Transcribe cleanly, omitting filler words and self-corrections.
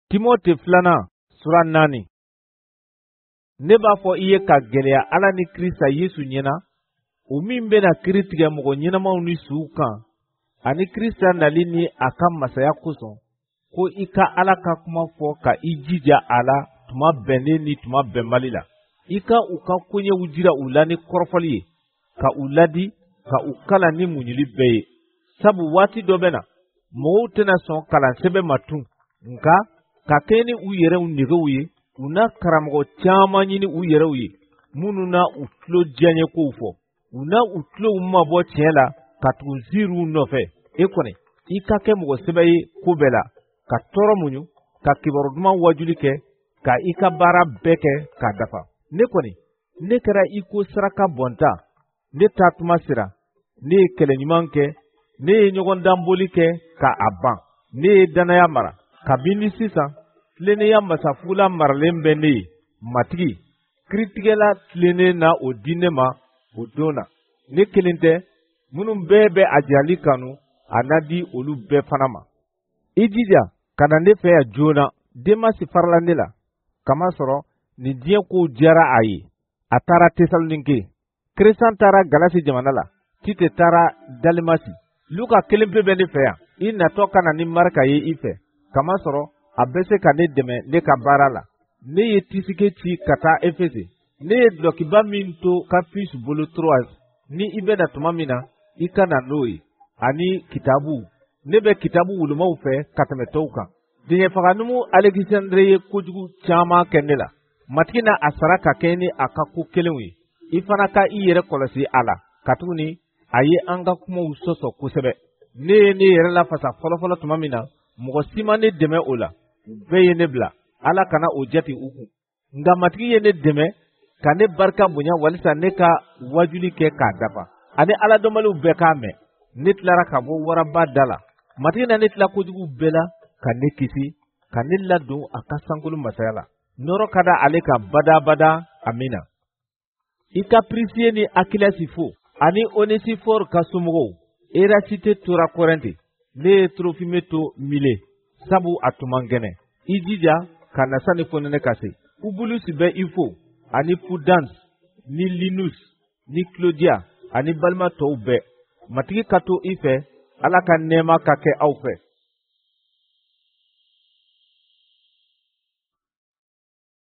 Timote filanan sura 4. Ne b'a fɔ i ye ka gɛlɛya Ala ni Krista Yesu ɲɛna, o min bɛna kiri tigɛ mɔgɔ ɲɛnamaw ni suw kan, ani Krista nali ni a ka masaya kosɔn, ko i ka Ala ka kuma fɔ ka i jija a la tuma bɛnnen ni tuma bɛnbali la. I ka u ka koɲɛw jira u la ni kɔrɔfɔli ye, ka u ladi, ka u kalan ni muɲuli bɛɛ ye. Sabu waati dɔ bɛ na, mɔgɔw tɛna sɔn kalan sɛbɛn ma tun, nka ka kɛɲɛ ni u yɛrɛw negew ye, u na karamɔgɔ caman ɲini u yɛrɛw ye, minnu na u tulo diyaɲɛ kow fɔ. U na u tulow mabɔ tiɲɛ la ka tugu ziiriw nɔfɛ. E kɔni, i ka kɛ mɔgɔ sɛbɛ ye ko bɛɛ la, ka tɔɔrɔ muɲu, ka kibaru duman wajuli kɛ, ka i ka baara bɛɛ kɛ k'a dafa. Ne kɔni, ne kɛra i ko saraka bɔnta, ne taa tuma sera, ne ye kɛlɛ ɲuman kɛ, ne ye ɲɔgɔndanboli kɛ ka a ban, ne ye dannaya mara. Kabini sisan, tilennenya masafugula maralen bɛ ne ye. Matigi, kiritigɛla tilennen na o di ne ma o don na. Ne kelen tɛ, minnu bɛɛ bɛ a jirali kanu, a na di olu bɛɛ fana ma. I jija ka na ne fɛ yan joona. Demasi farala ne la, kamasɔrɔ nin diɲɛ kow diyara a ye. A taara Tesalonike. Kresan taara Galasi jamana la, Tite taara Dalimasi. Luka kelen pe bɛ ne fɛ yan. I natɔ ka na ni Marika ye i fɛ, kamasɔrɔ a bɛ se ka ne dɛmɛ ne ka baara la. Ne ye Tisike ci ka taa Efese. Ne ye dulɔkiba min to Kapus bolo Troas, ni i bɛ na tuma min na, i ka na n'o ye, ani kitabuw. Ne bɛ kitabu wolomaw fɛ ka tɛmɛ tɔw kan. Denyɛfaganumu Alekisandre ye kojugu caman kɛ ne la. Matigi na a sara ka kɛɲɛ ni a ka ko kelenw ye. I fana ka i yɛrɛ kɔlɔsi a la, katuguni a ye an ka kumaw sɔsɔ kosɛbɛ. Ne ye ne yɛrɛ lafasa fɔlɔfɔlɔ tuma min na, mɔgɔ si ma ne dɛmɛ o la. U bɛɛ ye ne bila. Ala kana o jate u kun. Nka Matigi ye ne dɛmɛ ka ne barika bonya walisa ne ka wajuli kɛ k'a dafa, ani Ala dɔnbaliw bɛɛ k'a mɛn. Ne tilara ka bɔ waraba da la. Matigi na ne tila kojugu bɛɛ la ka ne kisi, ka ne ladon a ka sankolo masaya la. Nɔɔrɔ ka da ale kan badabada. Amina. I ka Prisiye ni Akilasi fo, ani Onesifɔr ka somɔgɔw. Erasite tora Kɔrɛnte. Ne ye Trofime to Mile, sabu a tun man kɛnɛ. I jija ka na sani fonɛnɛ ka se. Ubulusi bɛ i fo, ani Pudans ni Linus ni Claudia ani balima tɔw bɛɛ. Matigi ka to i fɛ, Ala ka nɛɛma ka kɛ aw fɛ.